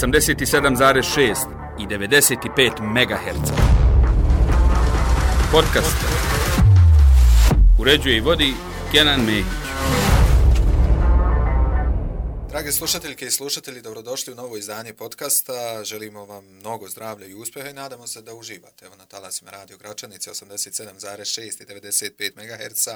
87,6 i 95 MHz. Podcast uređuje i vodi Kenan Mehić. Drage slušateljke i slušatelji, dobrodošli u novo izdanje podcasta. Želimo vam mnogo zdravlja i uspjeha i nadamo se da uživate. Evo na talasima Radio Gračanice 87,6 i 95 MHz.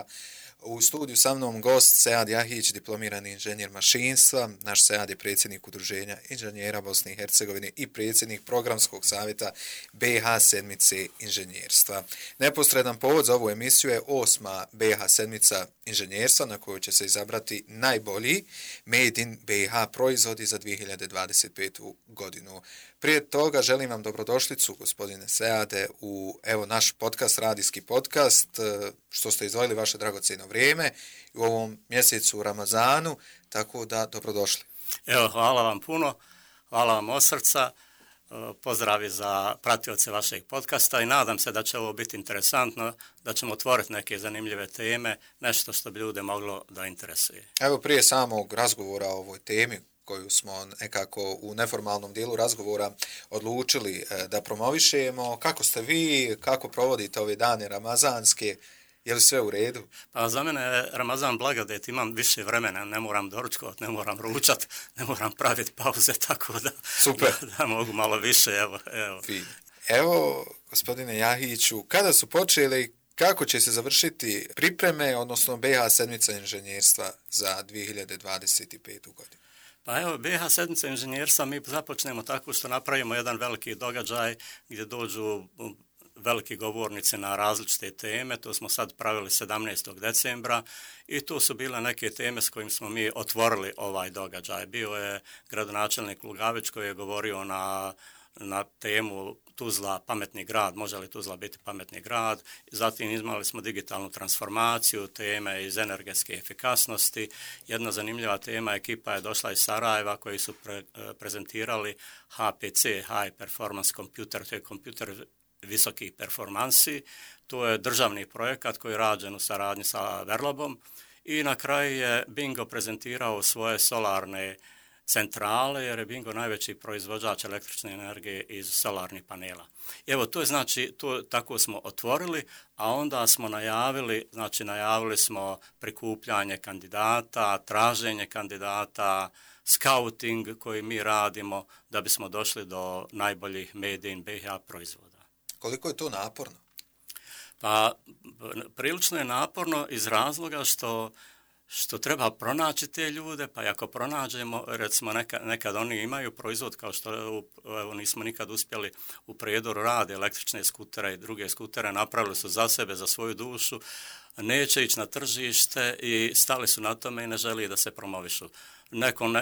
U studiju sa mnom gost Sead Jahić, diplomirani inženjer mašinstva. Naš Sead je predsjednik Udruženja inženjera Bosne i Hercegovine i predsjednik programskog savjeta BiH sedmice inženjerstva. Neposredan povod za ovu emisiju je 8. BiH sedmica inženjerstva na kojoj će se izabrati najbolji Made in BiH proizvodi za 2025. godinu. Prije toga želim vam dobrodošlicu, gospodine Seade, u naš podcast, radijski podcast, što ste izdvojili vaše dragocjeno vrijeme u ovom mjesecu Ramazanu, tako da dobrodošli. Evo, hvala vam puno, hvala vam od srca, pozdravi za pratioce vašeg podcasta i nadam se da će ovo biti interesantno, da ćemo otvoriti neke zanimljive teme, nešto što bi ljude moglo da interesuje. Evo, prije samog razgovora o ovoj temi, koju smo nekako u neformalnom dijelu razgovora odlučili da promovišemo. Kako ste vi, kako provodite ove dane ramazanske, je li sve u redu? Pa za mene je Ramazan blagodet, imam više vremena, ne moram doručkovati, ne moram ručati, ne moram praviti pauze, tako da, da mogu malo više. Evo, gospodine Jahiću, kada su počeli, kako će se završiti pripreme, odnosno BiH sedmica inženjerstva za 2025. godinu? Pa evo, BiH sedmica inženjerstva mi započnemo tako što napravimo jedan veliki događaj gdje dođu veliki govornici na različite teme. To smo sad pravili 17. decembra i to su bile neke teme s kojim smo mi otvorili ovaj događaj. Bio je gradonačelnik Lugavić koji je govorio na temu Tuzla, pametni grad, može li Tuzla biti pametni grad. Zatim imali smo digitalnu transformaciju, teme iz energetske efikasnosti. Jedna zanimljiva tema, ekipa je došla iz Sarajeva koji su prezentirali HPC, High Performance Computer, to je kompjuter visokih performansi. To je državni projekat koji je rađen u saradnji sa Verlobom. I na kraju je Bingo prezentirao svoje solarne centrale, jer je Bingo najveći proizvođač električne energije iz solarnih panela. Evo, to je znači, tako smo otvorili, a onda smo najavili smo prikupljanje kandidata, traženje kandidata, scouting koji mi radimo da bismo došli do najboljih Made in BiH proizvoda. Koliko je to naporno? Pa, prilično je naporno iz razloga što treba pronaći te ljude, pa ako pronađemo, recimo nekad oni imaju proizvod kao što evo, nismo nikad uspjeli u Prijedoru rade električne skutere i druge skutere, napravili su za sebe, za svoju dušu, neće ići na tržište i stali su na tome i ne želi da se promovišu.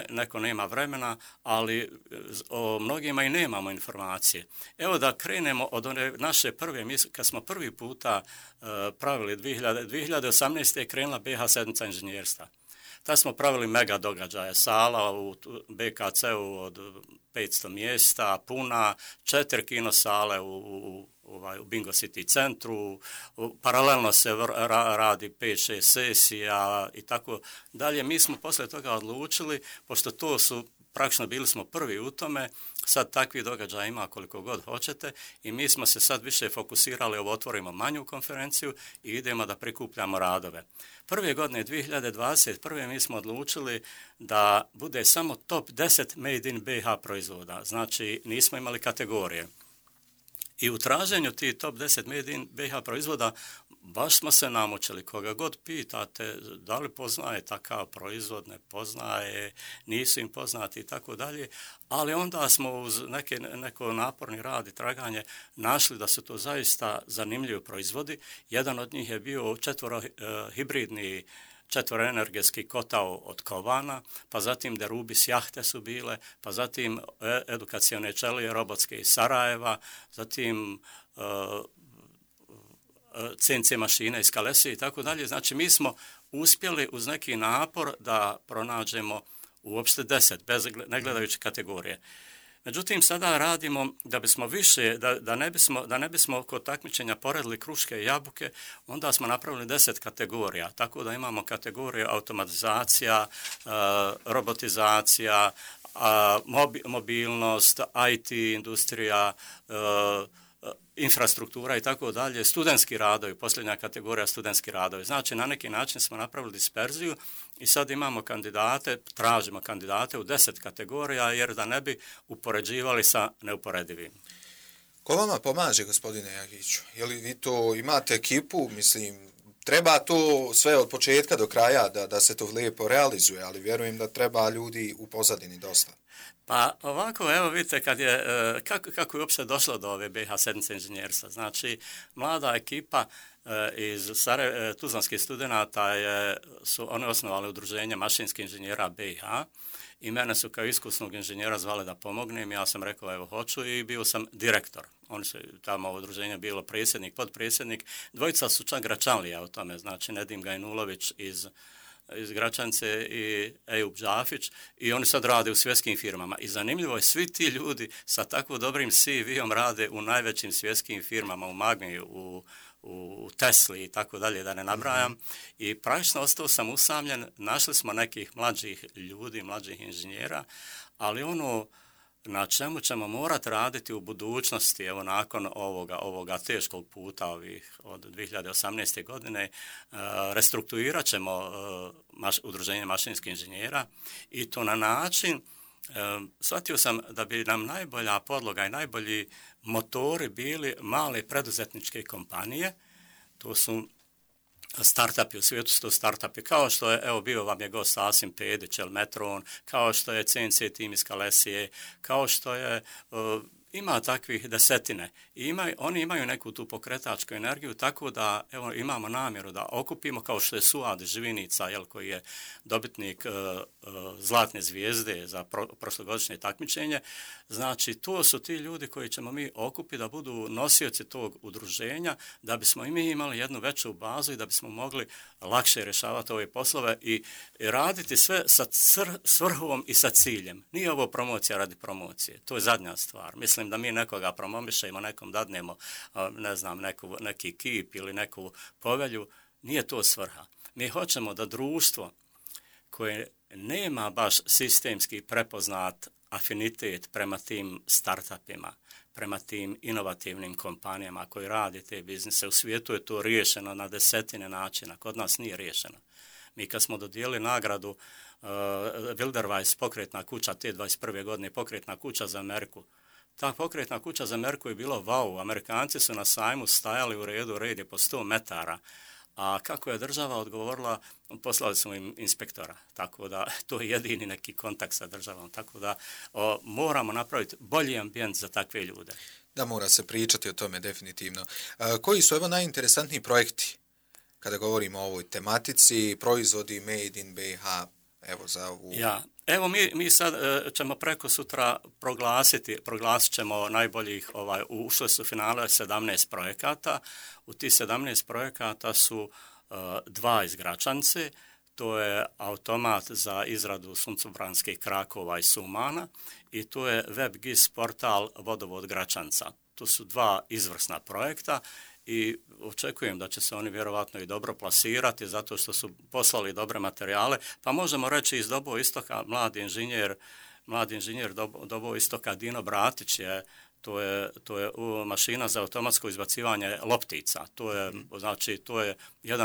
Neko nema vremena, ali o mnogima i nemamo informacije. Evo da krenemo od one naše prve, kad smo prvi puta pravili 2018. je krenula BiH sedmica inženjerstva. Tad smo pravili mega događaje, sala u BKC-u od 500 mjesta, puna, 4 kinosale u Bingo City centru, paralelno se radi 5-6 sesija i tako dalje. Mi smo poslije toga odlučili, pošto to su, praktično bili smo prvi u tome, sad takvi događaja ima koliko god hoćete i mi smo se sad više fokusirali, otvorimo manju konferenciju i idemo da prikupljamo radove. Prve godine 2021. mi smo odlučili da bude samo top 10 Made in BiH proizvoda, znači nismo imali kategorije. I u traženju tih top 10 Made in BiH proizvoda baš smo se namučili. Koga god pitate da li poznaje takav proizvod, ne poznaje, nisu im poznati i tako dalje, ali onda smo uz neko naporni rad i traganje našli da su to zaista zanimljivi proizvodi. Jedan od njih je bio hibridni četvoroenergetski kotao od Kovana, pa zatim Derubis jahte su bile, pa zatim edukacione ćelije robotske iz Sarajeva, zatim CNC mašine iz Kalesije i tako dalje. Znači mi smo uspjeli uz neki napor da pronađemo uopšte 10, ne gledajući kategorije. Međutim, sada radimo da bismo više, da ne bismo kod takmičenja poredili kruške i jabuke, onda smo napravili 10 kategorija, tako da imamo kategorije automatizacija, robotizacija, mobilnost, IT industrija, infrastruktura i tako dalje, studentski radovi, posljednja kategorija studentski radovi. Znači, na neki način smo napravili disperziju i sad imamo kandidate, tražimo kandidate u 10 kategorija, jer da ne bi upoređivali sa neuporedivim. Ko vama pomaže, gospodine Jagiću? Je li vi to imate ekipu? Mislim, treba to sve od početka do kraja da se to lijepo realizuje, ali vjerujem da treba ljudi u pozadini dosta. Pa ovako, evo vidite kako je uopšte došlo do ove BiH sedmice inženjerstva. Znači, mlada ekipa iz tuzlanskih studenata su oni osnovali udruženje mašinskih inženjera BiH i mene su kao iskusnog inženjera zvali da pomognem. Ja sam rekao evo hoću i bio sam direktor. Oni su tamo u udruženju bilo predsjednik, potpredsjednik. Dvojica su čak Gračanlija u tome, znači Nedim Gajnulović iz Gračanice i Ejub Džafić i oni sad rade u svjetskim firmama. I zanimljivo je, svi ti ljudi sa tako dobrim CV-om rade u najvećim svjetskim firmama, u Magmi, u Tesli i tako dalje, da ne nabrajam. I praktično ostao sam usamljen, našli smo nekih mlađih ljudi, mlađih inženjera, ali ono na čemu ćemo morati raditi u budućnosti, evo nakon ovoga teškog puta od 2018. godine, restrukturirat ćemo udruženje mašinskih inženjera i to na način, shvatio sam da bi nam najbolja podloga i najbolji motori bili male preduzetničke kompanije, to su startupi, u svijetu su to startupi, kao što je, evo bio vam je gost Asim Pedić, Metron, kao što je CNC tim iz Kalesije, kao što je, ima takvih desetine. I oni imaju neku tu pokretačku energiju, tako da evo, imamo namjeru da okupimo, kao što je Suad Živinica, koji je dobitnik Zlatne zvijezde za prošlogodišnje takmičenje. Znači, to su ti ljudi koji ćemo mi okupiti da budu nosioci tog udruženja, da bismo i mi imali jednu veću bazu i da bismo mogli lakše rješavati ove poslove i raditi sve sa svrhom i sa ciljem. Nije ovo promocija radi promocije, to je zadnja stvar. Mislim da mi nekoga promovišemo, nekom dadnemo, ne znam, neki kip ili neku povelju, nije to svrha. Mi hoćemo da društvo koje nema baš sistemski prepoznat afinitet prema tim startupima, prema tim inovativnim kompanijama koji rade te biznise. U svijetu je to riješeno na desetine načina, kod nas nije riješeno. Mi kad smo dodijelili nagradu Wilderweiss pokretna kuća te 21. godine, pokretna kuća za Ameriku, ta pokretna kuća za Ameriku je bilo wow, Amerikanci su na sajmu stajali u redu, red je po 100 metara, a kako je država odgovorila, poslali smo im inspektora, tako da to je jedini neki kontakt sa državom, tako da moramo napraviti bolji ambijent za takve ljude. Da, mora se pričati o tome definitivno. Koji su evo najinteresantniji projekti kada govorimo o ovoj tematici, proizvodi Made in BiH, evo za ovu... Evo mi sad ćemo preko sutra proglasit ćemo najboljih, ušle su finale 17 projekata, u tih 17 projekata su 2 iz Gračanice, to je automat za izradu suncobranskih krakova i sumana i to je WebGIS portal Vodovod Gračanca. To su 2 izvrsna projekta i očekujem da će se oni vjerovatno i dobro plasirati zato što su poslali dobre materijale. Pa možemo reći iz Doboj Istoka mladi inženjer Doboj Istoka Dino Bratić to je mašina za automatsko izbacivanje loptica. To je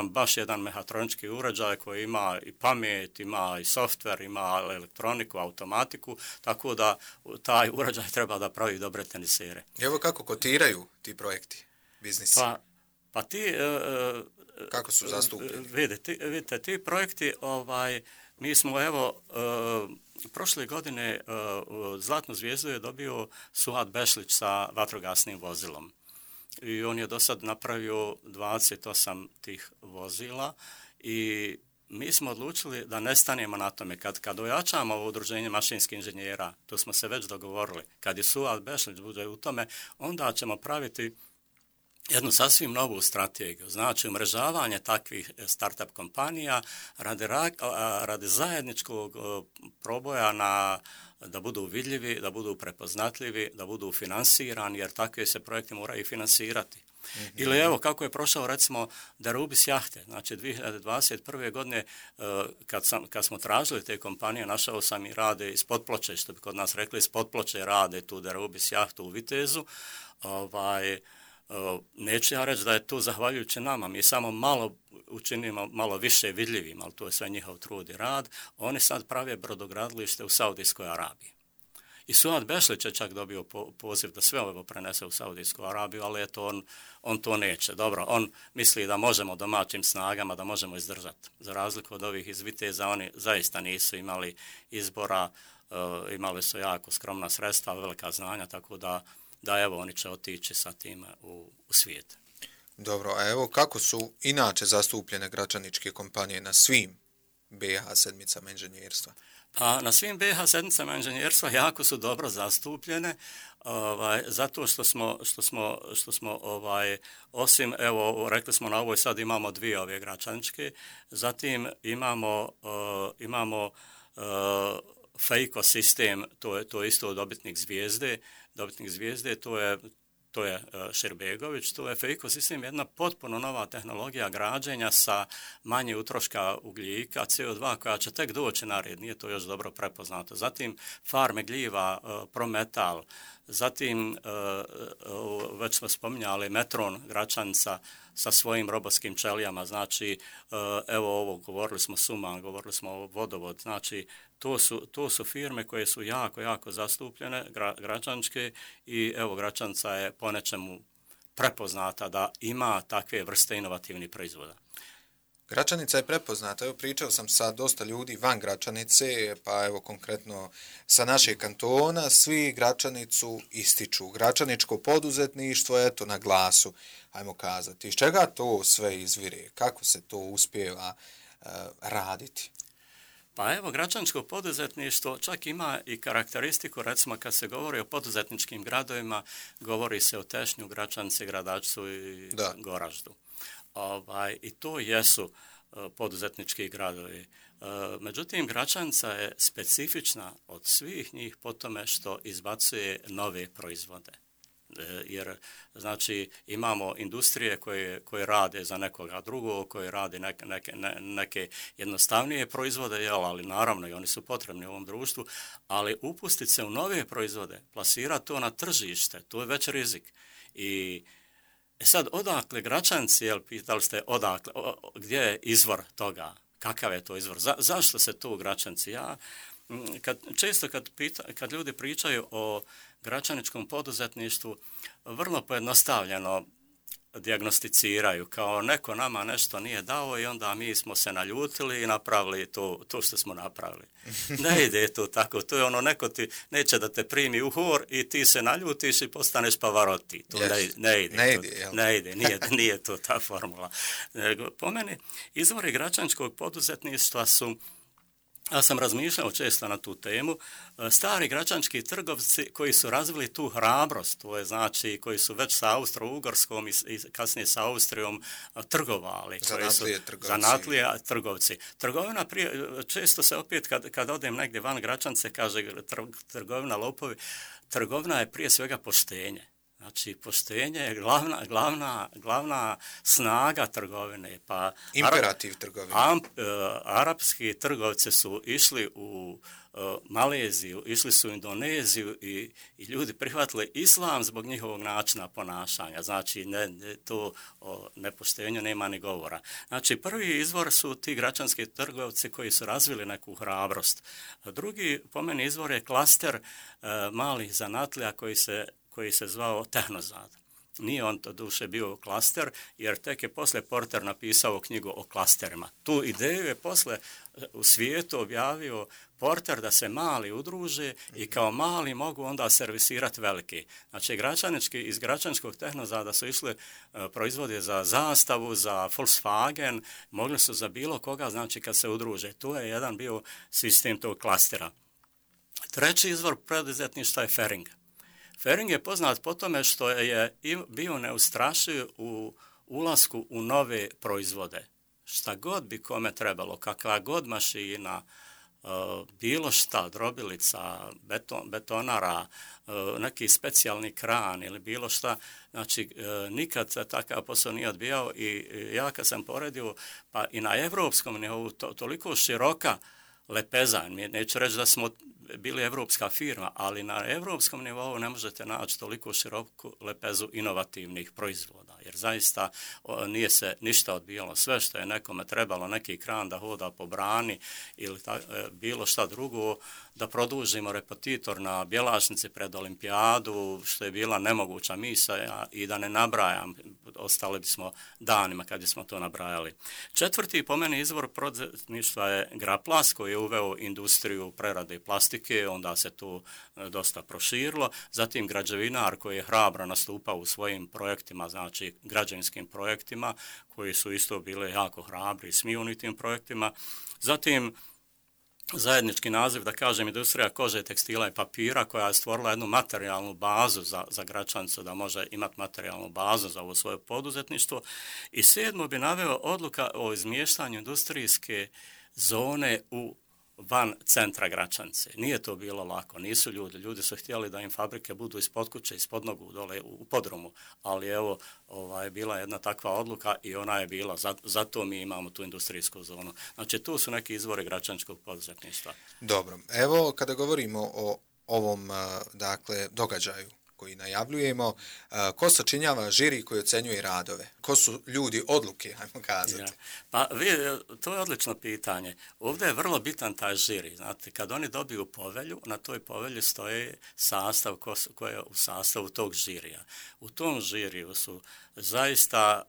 baš jedan mehatronički uređaj koji ima i pamet, ima i softver, ima elektroniku, automatiku, tako da taj uređaj treba da pravi dobre tenisere. Evo kako kotiraju ti projekti, biznisi? Pa ti... Kako su zastupljeni? Vidite, ti projekti, mi smo evo... Prošle godine Zlatnu zvijezdu je dobio Suad Bešlić sa vatrogasnim vozilom i on je do sad napravio 28 tih vozila i mi smo odlučili da ne stanemo na tome. Kad ojačamo ovo udruženje mašinskih inženjera, to smo se već dogovorili, kad je Suad Bešlić bude u tome, onda ćemo praviti jednu sasvim novu strategiju, znači umrežavanje takvih startup kompanija radi zajedničkog proboja da budu vidljivi, da budu prepoznatljivi, da budu finansirani, jer takve se projekte moraju finansirati. Ili evo kako je prošao recimo Darubis jahte, znači 2021. godine kad smo tražili te kompanije, našao sam i rade iz Potploče, što bi kod nas rekli, iz Potploče rade tu Darubis jahtu u Vitezu. Neću ja reći da je to zahvaljujući nama, mi samo malo učinimo malo više vidljivim, ali to je sve njihov trud i rad. Oni sad prave brodogradilište u Saudijskoj Arabiji. I Suad Bešlić je čak dobio poziv da sve ovo prenese u Saudijsku Arabiju, ali eto on to neće. Dobro, on misli da možemo domaćim snagama, da možemo izdržati. Za razliku od ovih iz Viteza, oni zaista nisu imali izbora, imali su jako skromna sredstva, velika znanja, tako da evo oni će otići sa tim u svijet. Dobro, a evo kako su inače zastupljene građaničke kompanije na svim BiH sedmicama inženjerstva? Pa na svim BiH sedmicama inženjerstva jako su dobro zastupljene, zato što smo osim, evo, rekli smo na ovoj sad imamo dvije ove građaničke, zatim imamo FEICO sistem, to je isto dobitnik zvijezde, to je Širbegović, to je FEICO sistem, jedna potpuno nova tehnologija građenja sa manje utroška ugljika, CO2 koja će tek doći na red, nije to još dobro prepoznato. Zatim farme gljiva, Prometal, zatim već smo spominjali Metron Gračanica sa svojim robotskim čelijama, znači evo ovo, govorili smo Suman, govorili smo Vodovod, znači to su firme koje su jako, jako zastupljene, građanske, i evo Gračanica je po nečemu prepoznata da ima takve vrste inovativnih proizvoda. Gračanica je prepoznata, evo pričao sam sa dosta ljudi van Gračanice, pa evo konkretno sa našeg kantona, svi Gračanicu ističu. Gračaničko poduzetništvo, eto na glasu, ajmo kazati. Iz čega to sve izvire? Kako se to uspijeva raditi? Pa evo, gračaničko poduzetništvo čak ima i karakteristiku, recimo kad se govori o poduzetničkim gradovima, govori se o Tešnju, Gračanici, Gradačcu i Goraždu. I to jesu poduzetnički gradovi. Međutim, Gračanica je specifična od svih njih po tome što izbacuje nove proizvode. Jer, znači, imamo industrije koje rade za nekoga drugog, koje rade neke jednostavnije proizvode, ali naravno i oni su potrebni u ovom društvu, ali upustiti se u nove proizvode, plasirati to na tržište, to je već rizik. I sad, odakle Gračanci, pitali ste odakle, gdje je izvor toga, kakav je to izvor, zašto se to u Gračanci? Često kad ljudi pričaju o gračaničkom poduzetništvu, vrlo pojednostavljeno dijagnosticiraju, kao neko nama nešto nije dao i onda mi smo se naljutili i napravili to što smo napravili. Ne ide to tako, to je ono, neko ti neće da te primi u hor i ti se naljutiš i postaneš Pavarotti. To ne ide, nije to ta formula. Po meni, izvori gračaničkog poduzetništva su, ja sam razmišljao često na tu temu, stari gračanički trgovci koji su razvili tu hrabrost, to je znači koji su već sa Austro-Ugorskom i kasnije sa Austrijom trgovali. Zanatlije trgovci. Trgovina često se opet kad odem negdje van Gračanice kaže trgovina lopovi, trgovina je prije svega poštenje. Znači, poštenje je glavna snaga trgovine. Pa imperativ trgovine. Arapski trgovci su išli u Maleziju, išli su u Indoneziju i ljudi prihvatili islam zbog njihovog načina ponašanja. Znači, to o nepoštenju nema ni govora. Znači, prvi izvor su ti gračanski trgovci koji su razvili neku hrabrost. Drugi, po meni, izvor je klaster malih zanatlija koji se zvao Tehnozad. Nije on to duše bio klaster, jer tek je posle Porter napisao knjigu o klasterima. Tu ideju je posle u svijetu objavio Porter da se mali udruže i kao mali mogu onda servisirati veliki. Znači, iz gračaničkog Tehnozada su išli proizvode za Zastavu, za Volkswagen, mogli su za bilo koga, znači kad se udruže. Tu je jedan bio sistem tog klastera. Treći izvor poduzetništva je Fering. Fering je poznat po tome što je bio neustrašiv u ulasku u nove proizvode. Šta god bi kome trebalo, kakva god mašina, bilo šta, drobilica, betonara, neki specijalni kran ili bilo šta, znači nikad se takav posao nije odbijao i ja kad sam poredio, pa i na evropskom nivou toliko široka lepeza, neću reći da smo bili evropska firma, ali na evropskom nivou ne možete naći toliko široku lepezu inovativnih proizvoda, jer zaista nije se ništa odbijalo. Sve što je nekome trebalo, neki kran da hoda po brani ili bilo šta drugo, da produžimo repetitor na Bjelašnici pred olimpijadu, što je bila nemoguća misija i da ne nabrajam, ostali bismo danima kad bismo to nabrajali. Četvrti po meni izvor poduzetništva je Graplas, koji je uveo industriju prerade plastike, onda se to dosta proširilo. Zatim građevinar koji je hrabro nastupao u svojim projektima, znači građevinskim projektima, koji su isto bile jako hrabri i smijuni tim projektima. Zatim zajednički naziv, da kažem, industrija kože, tekstila i papira, koja je stvorila jednu materijalnu bazu za Gračanicu, da može imati materijalnu bazu za ovo svoje poduzetništvo. I 7. bi naveo odluka o izmještanju industrijske zone van centra Gračanice. Nije to bilo lako, nisu ljudi su htjeli da im fabrike budu ispod kuće, ispod nogu, dole u podrumu, ali evo, bila jedna takva odluka i ona je bila, zato mi imamo tu industrijsku zonu. Znači, tu su neki izvori gračaničkog poduzetništva. Dobro, evo kada govorimo o ovom, dakle, događaju koji najavljujemo, ko sačinjava žiri koji ocenjuje radove? Ko su ljudi odluke, ajmo kazati? Ja. Pa to je odlično pitanje. Ovdje je vrlo bitan taj žiri. Znate, kad oni dobiju povelju, na toj povelji stoji sastav koji je u sastavu tog žirija. U tom žiriju su zaista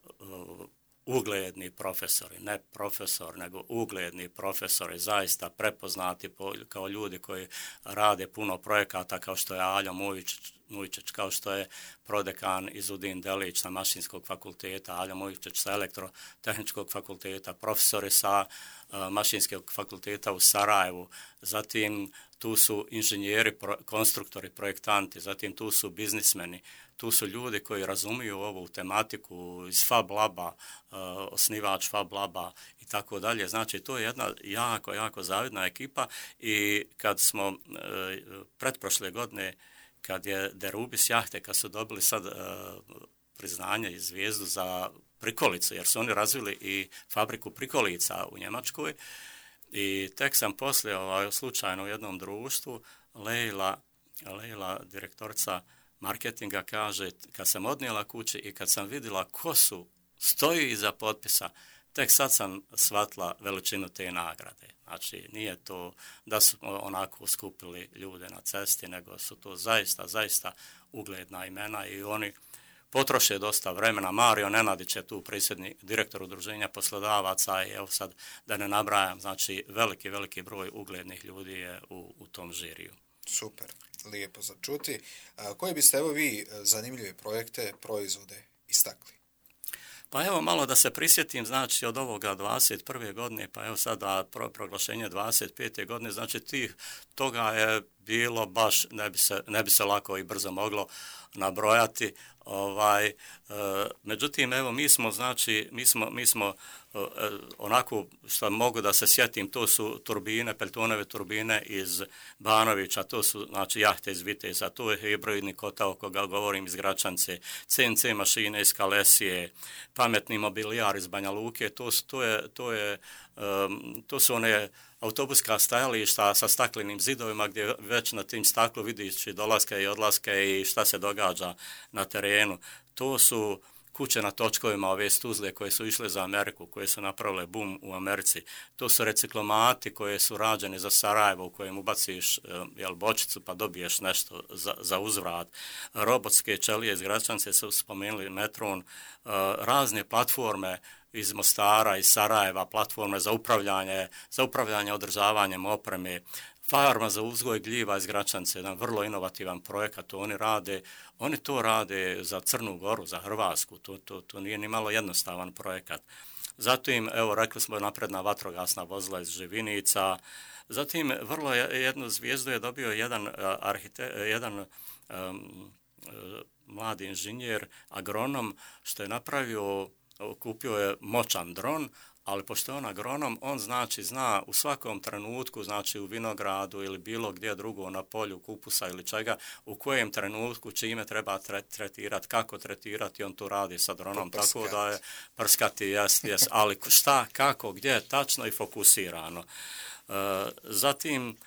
ugledni profesori, ne profesor, nego ugledni profesori, zaista prepoznati kao ljudi koji rade puno projekata, kao što je Aljo Mujčić, kao što je prodekan Izudin Delić sa Mašinskog fakulteta, Aljo Mujčić sa Elektrotehničkog fakulteta, profesori sa Mašinskog fakulteta u Sarajevu, zatim tu su inženjeri, konstruktori, projektanti, zatim tu su biznismeni, tu su ljudi koji razumiju ovu tematiku iz Fab Laba, osnivač Fab Laba i tako dalje. Znači, to je jedna jako zavidna ekipa i kad smo pretprošle godine, kad je Derubis jahte, kad su dobili sad priznanje i zvijezdu za prikolicu, jer su oni razvili i fabriku prikolica u Njemačkoj, i tek sam poslije slučajno u jednom društvu, Lejla, direktorica marketinga, kaže, kad sam odnijela kući i kad sam vidjela ko stoji iza potpisa, tek sad sam shvatila veličinu te nagrade. Znači, nije to da su onako skupili ljude na cesti, nego su to zaista ugledna imena i oni potroše dosta vremena. Mario Nenadić je tu direktor udruženja poslodavaca i evo sad da ne nabrajam, znači veliki broj uglednih ljudi je u tom žiriju. Super, lijepo za čuti. Koje biste evo vi zanimljive projekte, proizvode istakli? Pa evo malo da se prisjetim, znači od ovoga 21. godine, pa evo sada proglašenje 25. godine, znači toga je bilo baš, ne bi se lako i brzo moglo nabrojati. Međutim, evo mi smo onako što mogu da se sjetim, to su turbine, Peltonove turbine iz Banovića, to su znači jahte iz Viteza, to je hibridni kotao koga govorim iz Gračanice, CNC mašine iz Kalesije, pametni mobilijar iz Banja Luke, to su one autobuska stajališta sa staklenim zidovima gdje već na tim staklu vidiš dolaske i odlaske i šta se događa na terenu. To su kuće na točkovima, ove stuzle koje su išle za Ameriku, koje su napravile boom u Americi. To su reciklomati koje su rađeni za Sarajevo u kojem ubaciš bočicu pa dobiješ nešto za uzvrat. Robotske čelije iz Gračanice su spomenuli Metron, razne platforme iz Mostara, iz Sarajeva, platforme za upravljanje održavanjem opreme, farma za uzgoj gljiva iz Gračanice, jedan vrlo inovativan projekat, oni to rade za Crnu Goru, za Hrvatsku, to nije ni malo jednostavan projekat. Zatim, evo, rekli smo napredna vatrogasna vozila iz Živinica, zatim vrlo jednu zvijezdu je dobio jedan mladi inženjer, agronom, što je kupio je moćan dron, ali pošto je on agronom, on znači zna u svakom trenutku, znači u vinogradu ili bilo gdje drugo na polju kupusa ili čega, u kojem trenutku čime treba tretirati, kako tretirati, on to radi sa dronom, tako da je prskati, jes, ali šta, kako, gdje, tačno i fokusirano. Zatim,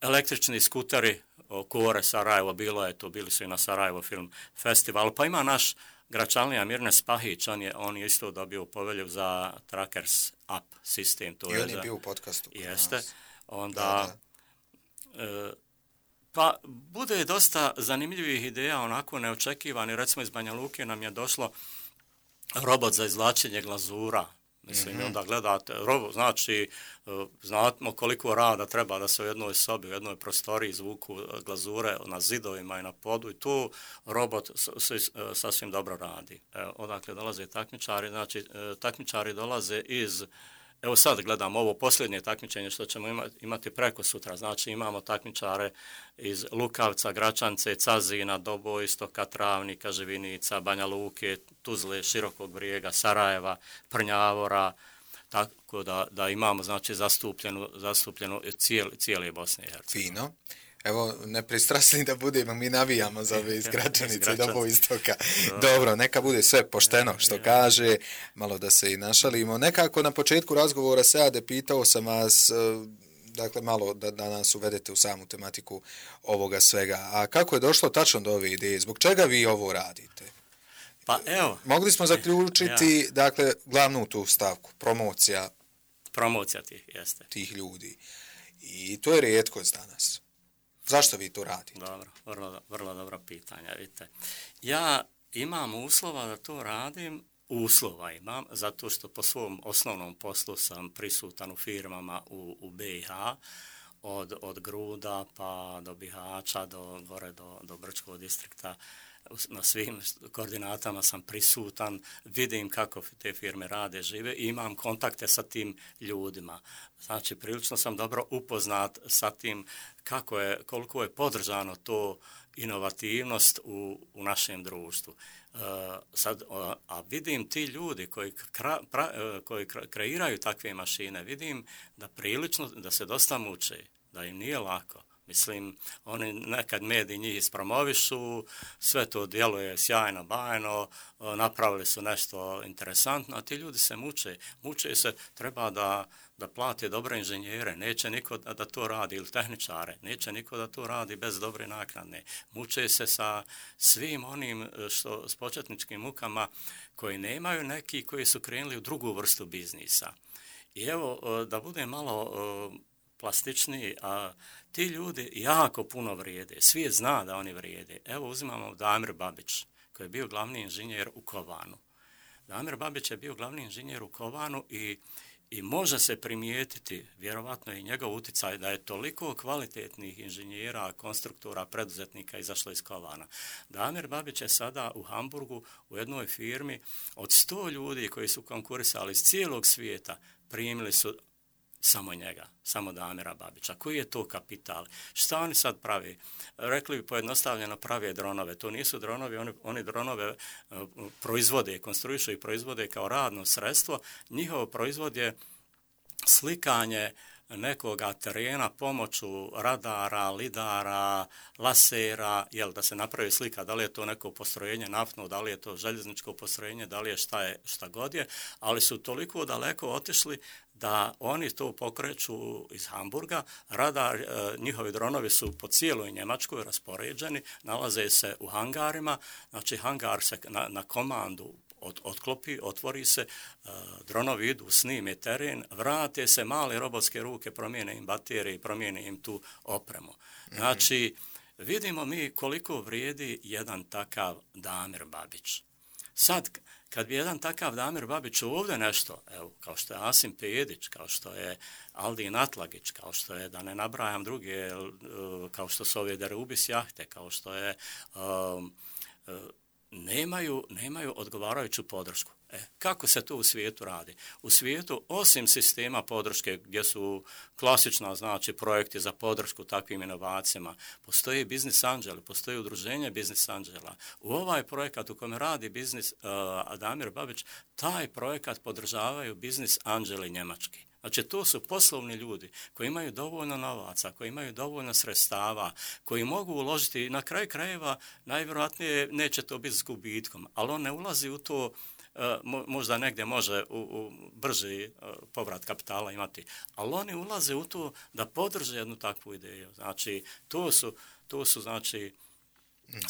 električni skuteri, Kore Sarajevo, bili su i na Sarajevo film festival, pa ima naš Gračanlija Mirne Spahić, on je isto dobio povelju za Trackers App sistem. I on je bio u podcastu. Jeste. Onda, pa bude dosta zanimljivih ideja, onako neočekivani. Recimo iz Banja Luke nam je došlo robot za izvlačenje glazura. Mislim, onda gledate, znači, znamo koliko rada treba da se u jednoj sobi, u jednoj prostoriji izvuku glazure na zidovima i na podu i tu robot sasvim dobro radi. Odakle dolaze takmičari, znači, takmičari dolaze iz, evo sad gledam ovo posljednje takmičenje što ćemo imati preko sutra, znači imamo takmičare iz Lukavca, Gračance, Cazina, Doboistoka, Travnika, Živinica, Banja Luke, Tuzle, Širokog Brijega, Sarajeva, Prnjavora, tako da imamo znači zastupljenu cijele Bosne i Hercegovine. Fino. Evo, nepristrasni da budemo, mi navijamo za ove iz Gračanice i Doboistoka. Dobro, neka bude sve pošteno što kaže, malo da se i našalimo. Nekako na početku razgovora Seade pitao sam vas, dakle malo da nas uvedete u samu tematiku ovoga svega. A kako je došlo tačno do ove ideje? Zbog čega vi ovo radite? Pa evo. Mogli smo zaključiti, dakle, glavnu tu stavku, promocija tih ljudi. I to je rijetkost danas. Zašto vi to radite? Dobro, vrlo dobro pitanje, vidite. Ja imam uslova da to radim, uslova imam, zato što po svom osnovnom poslu sam prisutan u firmama u BiH, od Gruda pa do Bihaća, gore do Brčkog distrikta. Na svim koordinatama sam prisutan, vidim kako te firme rade, žive i imam kontakte sa tim ljudima. Znači, prilično sam dobro upoznat sa tim koliko je podržano to inovativnost u našem društvu. A vidim ti ljudi koji kreiraju takve mašine, vidim da se dosta muče, da im nije lako. Mislim, oni nekad mediji njih ispromovišu, sve to djeluje sjajno, bajno, napravili su nešto interesantno, a ti ljudi se muče se, treba da plate dobre inženjere, neće niko da to radi, ili tehničare, neće niko da to radi bez dobre naknade. Muče se sa svim onim s početničkim mukama koji nemaju neki koji su krenuli u drugu vrstu biznisa. I evo, da bude malo plastičniji, a ti ljudi jako puno vrijede, svijet zna da oni vrijede. Evo uzimamo Damir Babić, koji je bio glavni inženjer u Kovanu. Damir Babić je bio glavni inženjer u Kovanu i može se primijetiti, vjerovatno i njegov utjecaj, da je toliko kvalitetnih inženjera, konstruktora, preduzetnika izašlo iz Kovana. Damir Babić je sada u Hamburgu u jednoj firmi od 100 ljudi koji su konkurisali iz cijelog svijeta, primili su samo njega, samo Damira Babića. Koji je to kapital? Šta oni sad pravi? Rekli bi pojednostavljeno, prave dronove. To nisu dronovi, oni dronove proizvode, konstruišu i proizvode kao radno sredstvo. Njihov proizvod je slikanje nekoga terena pomoću radara, lidara, lasera, da se napravi slika, da li je to neko postrojenje naftno, da li je to željezničko postrojenje, da li je šta god je, ali su toliko daleko otišli da oni to pokreću iz Hamburga. Radar, njihovi dronovi su po cijeloj Njemačkoj raspoređeni, nalaze se u hangarima, znači hangar se na komandu otklopi, otvori se, dronovi idu, snime teren, vrate se, male robotske ruke, promijene im baterije i promijene im tu opremu. Znači, vidimo mi koliko vrijedi jedan takav Damir Babić. Sad, kad bi jedan takav Damir Babić ovdje nešto, evo, kao što je Asim Pedić, kao što je Aldin Atlagić, kao što je, da ne nabrajam druge, kao što su ove Derubis jahte, kao što je nemaju odgovarajuću podršku. Kako se to u svijetu radi? U svijetu, osim sistema podrške gdje su klasična, znači, projekti za podršku takvim inovacijama, postoji biznis anđeli, postoji udruženje biznis anđela. U ovaj projekat u kome radi Damir Babić, taj projekat podržavaju biznis anđeli njemački. Znači, to su poslovni ljudi koji imaju dovoljno novaca, koji imaju dovoljno sredstava, koji mogu uložiti, na kraju krajeva najvjerojatnije neće to biti s gubitkom, ali on ne ulazi u to, možda negdje može u brži povrat kapitala imati, ali oni ulaze u to da podrže jednu takvu ideju. Znači, to su znači,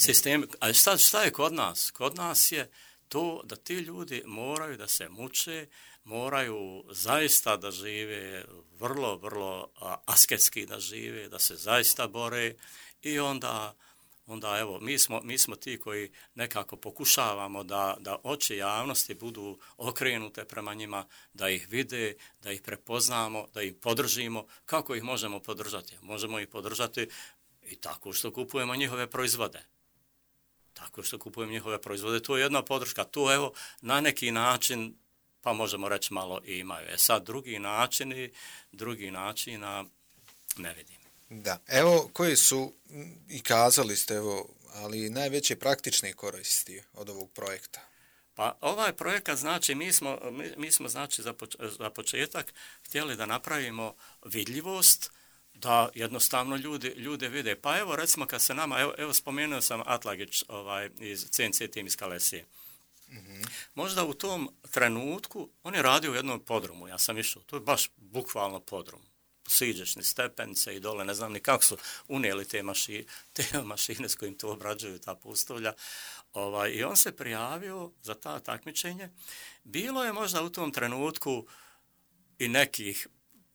sistemi. A šta je kod nas? Kod nas je to da ti ljudi moraju da se muče, moraju zaista da žive vrlo, vrlo asketski da žive, da se zaista bore i onda evo, mi smo ti koji nekako pokušavamo da oči javnosti budu okrenute prema njima, da ih vide, da ih prepoznamo, da ih podržimo. Kako ih možemo podržati? Možemo ih podržati i tako što kupujemo njihove proizvode. Tako što kupujemo njihove proizvode. To je jedna podrška. To evo na neki način, pa možemo reći malo i imaju. Sad drugi načina ne vidim. Da, evo koji su, i kazali ste, evo, ali najveće praktične koristi od ovog projekta? Pa ovaj projekat, znači, mi smo znači, za početak htjeli da napravimo vidljivost, da jednostavno ljude vide. Pa evo, recimo, kad se nama, evo spomenuo sam Atlagić iz CNC tim iz Kalesije. Mm-hmm. Možda u tom trenutku, on je radio u jednom podrumu, ja sam išao, to je baš bukvalno podrum. Siđeš ni stepence i dole, ne znam ni kako su unijeli te mašine s kojim to obrađuju, ta pustovlja. I on se prijavio za ta takmičenje. Bilo je možda u tom trenutku i nekih,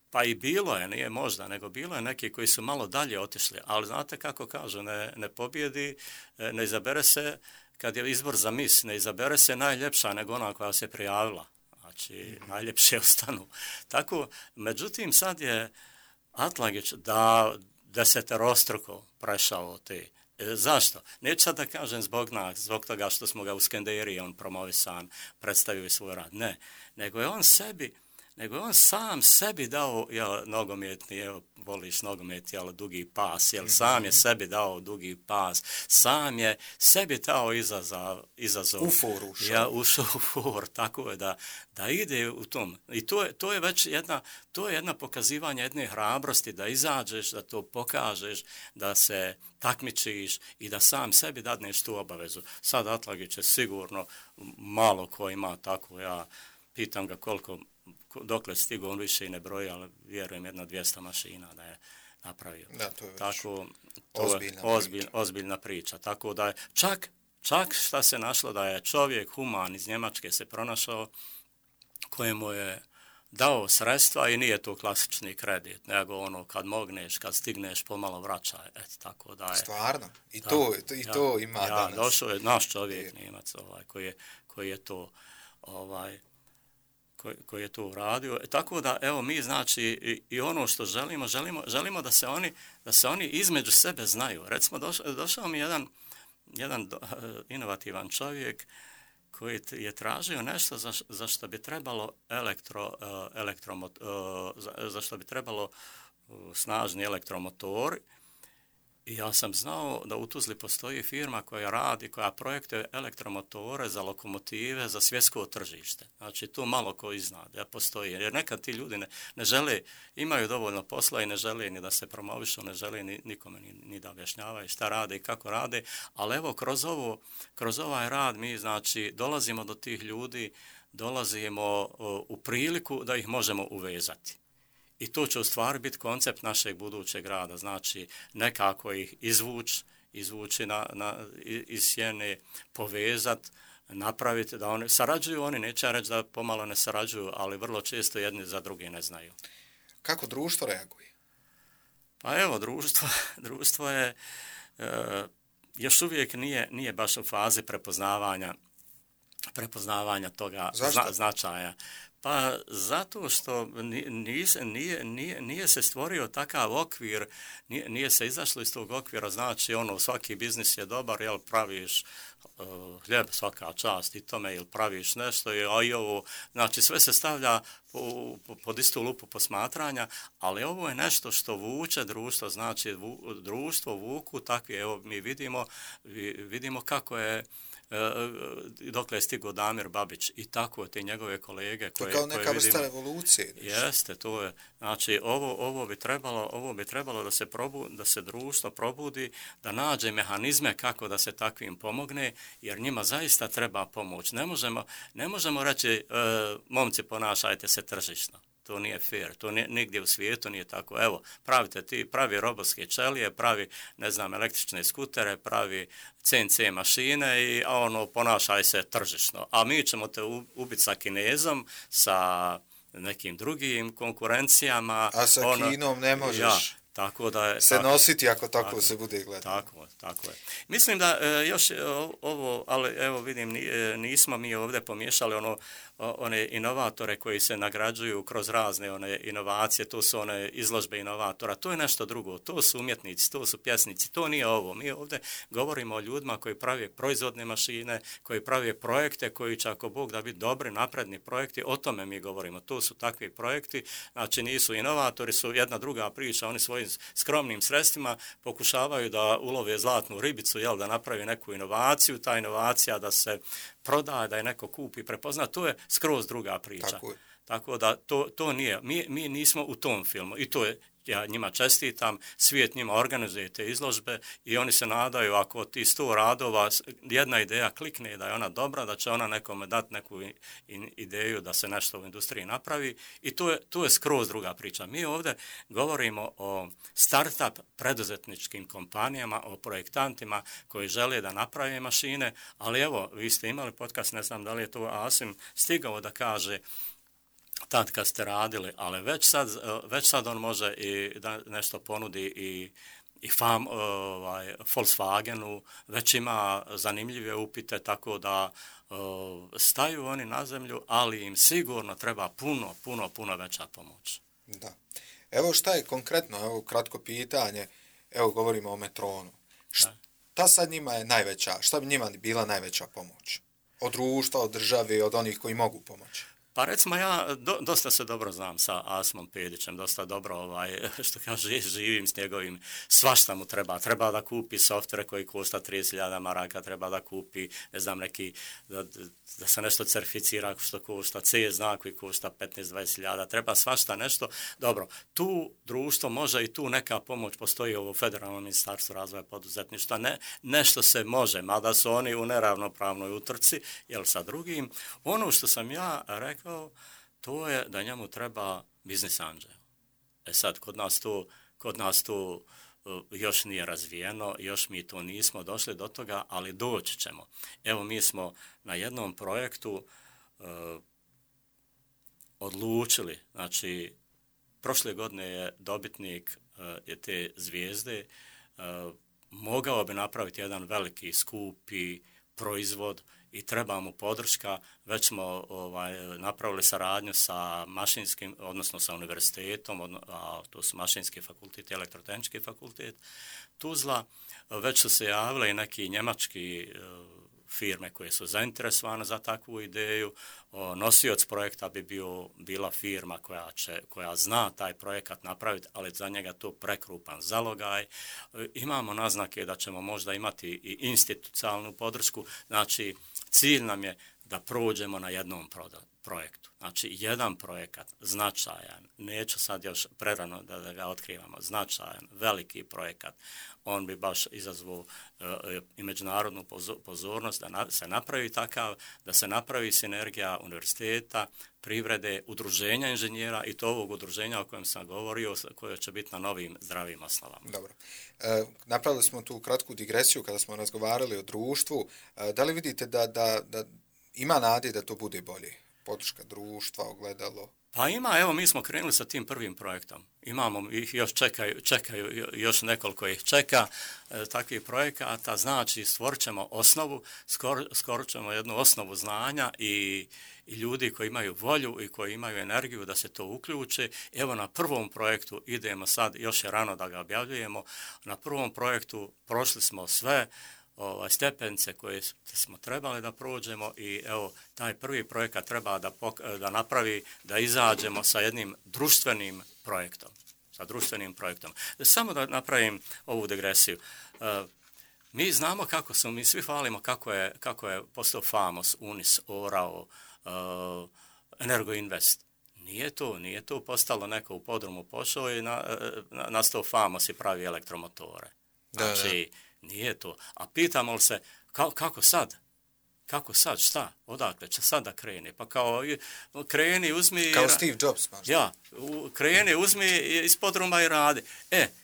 pa i bilo je, nije možda, nego bilo je neki koji su malo dalje otišli, ali znate kako kažu, ne pobjedi, ne izabere se, kad je izbor za mis, ne izabere se najljepša nego ona koja se prijavila. Znači, najljepše ostanu. Tako, međutim, sad je Atlagić da deseterostruko prešao te. Zašto? Neću sad da kažem zbog toga što smo ga u Skenderiji on promovisan, predstavio svoj rad. Ne, nego je on sam sebi dao, nogometni, voliš nogomet, dugi pas, sam je sebi dao dugi pas, sam je sebi dao izazov. U for ušao u for, tako je da ide u tom. I to je već jedna pokazivanje jedne hrabrosti, da izađeš, da to pokažeš, da se takmičiš i da sam sebi dadneš tu obavezu. Sad Atlagić je sigurno malo ko ima tako, ja pitam ga dokle stigo, on više i ne broji, ali vjerujem 200 mašina da je napravio. Da, to je tako, ozbiljna priča. Tako da je čak šta se našlo da je čovjek human iz Njemačke se pronašao kojemu je dao sredstva i nije to klasični kredit, nego kad mogneš, kad stigneš, pomalo vraćaj. Tako da je. Stvarno? I to ima danas. Došao je naš čovjek Njemac koji je to koji je to uradio. Tako da, evo, mi znači i ono što želimo da se oni između sebe znaju. Recimo, došao mi jedan inovativan čovjek koji je tražio nešto za što bi trebalo za što bi trebalo snažni elektromotor. I ja sam znao da u Tuzli postoji firma koja projektuje elektromotore za lokomotive za svjetsko tržište. Znači, tu malo ko zna da postoji. Jer nekad ti ljudi ne žele, imaju dovoljno posla i ne žele ni da se promovišu, ne žele nikome ni da objašnjavaju šta rade i kako rade. Ali evo, kroz ovaj rad mi, znači, dolazimo do tih ljudi, dolazimo u priliku da ih možemo uvezati. I to će u stvari biti koncept našeg budućeg rada, znači nekako ih izvući iz sjene, povezati, napraviti da oni sarađuju, oni neće reći da pomalo ne sarađuju, ali vrlo često jedni za druge ne znaju. Kako društvo reaguje? Pa evo, društvo je još uvijek nije baš u fazi prepoznavanja toga značaja. Pa zato što nije se stvorio takav okvir, nije se izašlo iz tog okvira, znači svaki biznis je dobar, jel praviš hljeb svaka čast i tome, ili praviš nešto, a i ovo, znači sve se stavlja pod istu lupu posmatranja, ali ovo je nešto što vuče društvo, znači društvo vuku takvi, evo mi vidimo kako je dokle je stigao Damir Babić i tako te njegove kolege koje kao neka vrsta revolucije. Jeste, to je. Znači ovo bi trebalo da se društvo probudi, da nađe mehanizme kako da se takvim pomogne, jer njima zaista treba pomoć. Ne možemo reći momci ponašajte se tržišno. To nije fair, to nigdje u svijetu nije tako. Evo, pravi robotske ćelije, pravi, električne skutere, pravi CNC mašine i ponašaj se tržišno. A mi ćemo te ubiti sa Kinezom, sa nekim drugim konkurencijama. A sa Kinom ne možeš. Ja, tako da je, se nositi ako tako se bude gledati. Tako je. Mislim da još ovo, ali evo vidim, nismo mi ovdje pomiješali one inovatore koji se nagrađuju kroz razne one inovacije, to su one izložbe inovatora, to je nešto drugo, to su umjetnici, to su pjesnici, to nije ovo. Mi ovdje govorimo o ljudima koji prave proizvodne mašine, koji prave projekte, koji će ako Bog da biti dobri, napredni projekti, o tome mi govorimo. To su takvi projekti, znači nisu inovatori, su jedna druga priča, oni svojim skromnim sredstvima pokušavaju da ulove zlatnu ribicu, da napravi neku inovaciju, ta inovacija da se prodaje, da je neko kupi, prepozna, to je skroz druga priča. Tako da to nije. Mi nismo u tom filmu i to je, ja njima čestitam, svijet njima organizuje te izložbe i oni se nadaju ako ti 100 radova, jedna ideja klikne da je ona dobra, da će ona nekome dati neku ideju da se nešto u industriji napravi i to je skroz druga priča. Mi ovdje govorimo o start-up preduzetničkim kompanijama, o projektantima koji žele da naprave mašine, ali evo, vi ste imali podcast, ne znam da li je to Asim stigao da kaže tad kad ste radili, ali već sad on može i da nešto ponudi i Volkswagenu, već ima zanimljive upite, tako da staju oni na zemlju, ali im sigurno treba puno veća pomoć. Da. Evo šta je konkretno, evo kratko pitanje, evo govorimo o Metronu. Šta sad njima je najveća, šta bi njima bila najveća pomoć? Od društva, od države, od onih koji mogu pomoći? Pa recimo ja dosta se dobro znam sa Asimom Pedićem, dosta dobro, što kaže, živim s njegovim, svašta mu treba da kupi softvere koji košta 30.000 maraka, treba da kupi, ne znam, neki, da se nešto certificira što košta, C znak koji košta 15-20.000, treba svašta nešto. Dobro, tu društvo može i tu neka pomoć postoji u Federalnom ministarstvu razvoja poduzetništva, nešto se može, mada su oni u neravnopravnoj utrci, jer sa drugim, ono što sam ja rekao, to je da njemu treba biznis anđel. Sad, kod nas to još nije razvijeno, još mi to nismo došli do toga, ali doći ćemo. Evo, mi smo na jednom projektu odlučili, znači, prošle godine je dobitnik te zvijezde mogao bi napraviti jedan veliki, skupi proizvod i treba mu podrška. Već smo napravili saradnju sa mašinskim, odnosno sa univerzitetom, a to su Mašinski fakultet i Elektrotehnički fakultet Tuzla. Već su se javile i neki njemački firme koje su zainteresovane za takvu ideju. Nosioc projekta bi bila firma koja zna taj projekat napraviti, ali za njega to prekrupan zalogaj. Imamo naznake da ćemo možda imati i institucionalnu podršku. Znači, cilj nam je da prođemo na jednom projektu. Znači, jedan projekat, značajan, neću sad još prerano da ga otkrivamo, značajan, veliki projekat, on bi baš izazvao i međunarodnu pozornost da se napravi takav, da se napravi sinergija univerziteta, privrede, udruženja inženjera i to ovog udruženja o kojem sam govorio, koje će biti na novim zdravim osnovama. Dobro. Napravili smo tu kratku digresiju kada smo razgovarali o društvu. Da li vidite da ima nade da to bude bolje? Podrška društva, ogledalo? Pa ima, evo mi smo krenuli sa tim prvim projektom. Imamo ih još čekaju još nekoliko ih čeka takvih projekata, znači stvorit ćemo osnovu, skoro ćemo jednu osnovu znanja i ljudi koji imaju volju i koji imaju energiju da se to uključe. Evo na prvom projektu idemo sad, još je rano da ga objavljujemo, na prvom projektu prošli smo sve stepence koje smo trebali da prođemo i evo taj prvi projekat treba da napravi, da izađemo sa jednim društvenim projektom. Samo da napravim ovu digresiju. Mi znamo kako smo, mi svi hvalimo kako je postao Famos, Unis, Orao, Energoinvest. Nije to postalo neko u podrumu pošao i nastao Famos i pravi elektromotore. Znači, nije to. A pitamo li se, kako sad? Kako sad? Šta? Odakle će sad da krene? Pa kao kreni, uzmi... Kao Steve Jobs, možda. Ja, kreni, uzmi iz podruma i radi.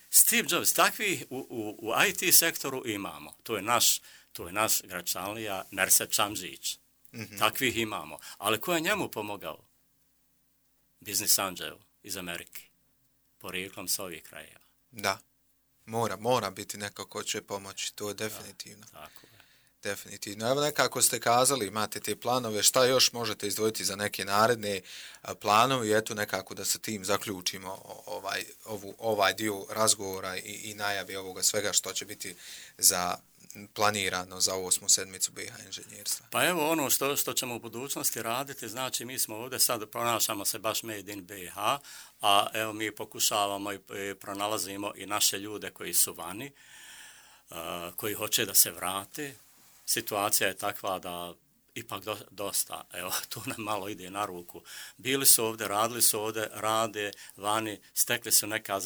Steve Jobs, takvih u IT sektoru imamo. To je naš Gračanlija, Merse Čamžić. Takvih imamo. Ali ko je njemu pomogao? Business Angel iz Amerike. Porijeklom s ovih krajeva. Da. Mora biti neko ko će pomoći, to je definitivno. Da, tako je. Definitivno. Evo nekako ste kazali, imate te planove, šta još možete izdvojiti za neke naredne planove i eto nekako da sa tim zaključimo ovaj dio razgovora i najavi ovoga svega što će biti planirano za 8. sedmicu BiH inženjerstva. Pa evo ono što ćemo u budućnosti raditi, znači mi smo ovdje sad pronašamo se baš Made in BiH, a evo mi pokušavamo i pronalazimo i naše ljude koji su vani, koji hoće da se vrate. Situacija je takva da ipak dosta, evo, to nam malo ide na ruku. Bili su ovdje, radili su ovdje, rade vani, stekli su neka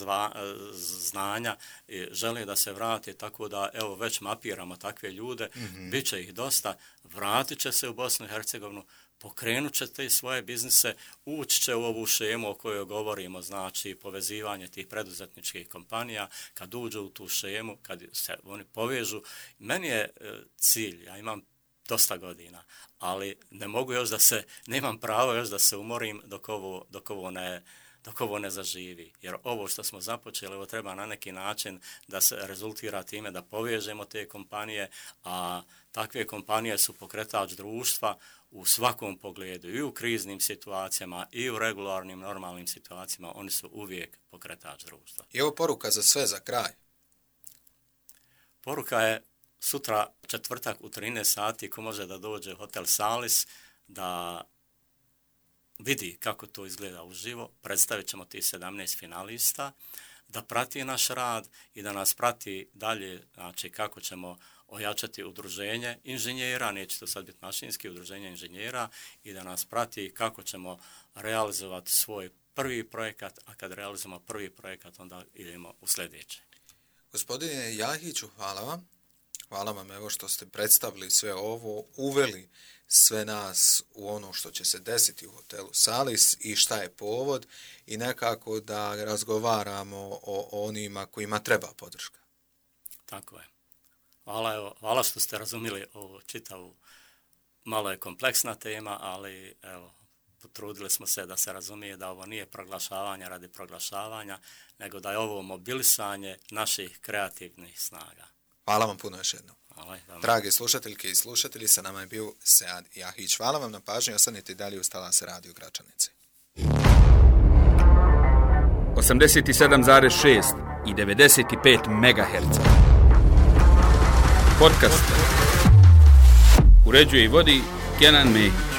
znanja i žele da se vrate, tako da, evo, već mapiramo takve ljude, bit će ih dosta, vratit će se u Bosnu i Hercegovinu, pokrenut će te svoje biznise, ući će u ovu šemu o kojoj govorimo, znači povezivanje tih preduzetničkih kompanija, kad uđu u tu šemu, kad se oni povežu. Meni je cilj, ja imam dosta godina, ali ne mogu još nemam pravo još da se umorim dok ovo ne zaživi. Jer ovo što smo započeli, ovo treba na neki način da se rezultira time da povežemo te kompanije, a takve kompanije su pokretač društva u svakom pogledu, i u kriznim situacijama, i u regularnim, normalnim situacijama, oni su uvijek pokretač društva. I ovo poruka za sve, za kraj. Poruka je sutra, četvrtak u 13 sati, ko može da dođe u Hotel Salis, da vidi kako to izgleda uživo, predstavit ćemo ti 17 finalista, da prati naš rad i da nas prati dalje, znači kako ćemo ojačati udruženje inženjera, neće to sad biti mašinski, udruženje inženjera, i da nas prati kako ćemo realizovati svoj prvi projekat, a kad realizujemo prvi projekat, onda idemo u sljedeće. Gospodine Jahiću, hvala vam. Hvala vam evo što ste predstavili sve ovo, uveli sve nas u ono što će se desiti u hotelu Salis i šta je povod i nekako da razgovaramo o onima kojima treba podrška. Tako je. Hvala što ste razumjeli ovu čitavu, malo je kompleksna tema, ali evo, potrudili smo se da se razumije da ovo nije proglašavanje radi proglašavanja, nego da je ovo mobilisanje naših kreativnih snaga. Hvala vam puno još jednom. Drage slušateljke i slušatelji, sa nama je bio Sead Jahić. Hvala vam na pažnji, ostanite dalje uz Talas Radio Gračanice. 87,6 i 95 MHz. Podcast. Uređuje i vodi Kenan Mehić.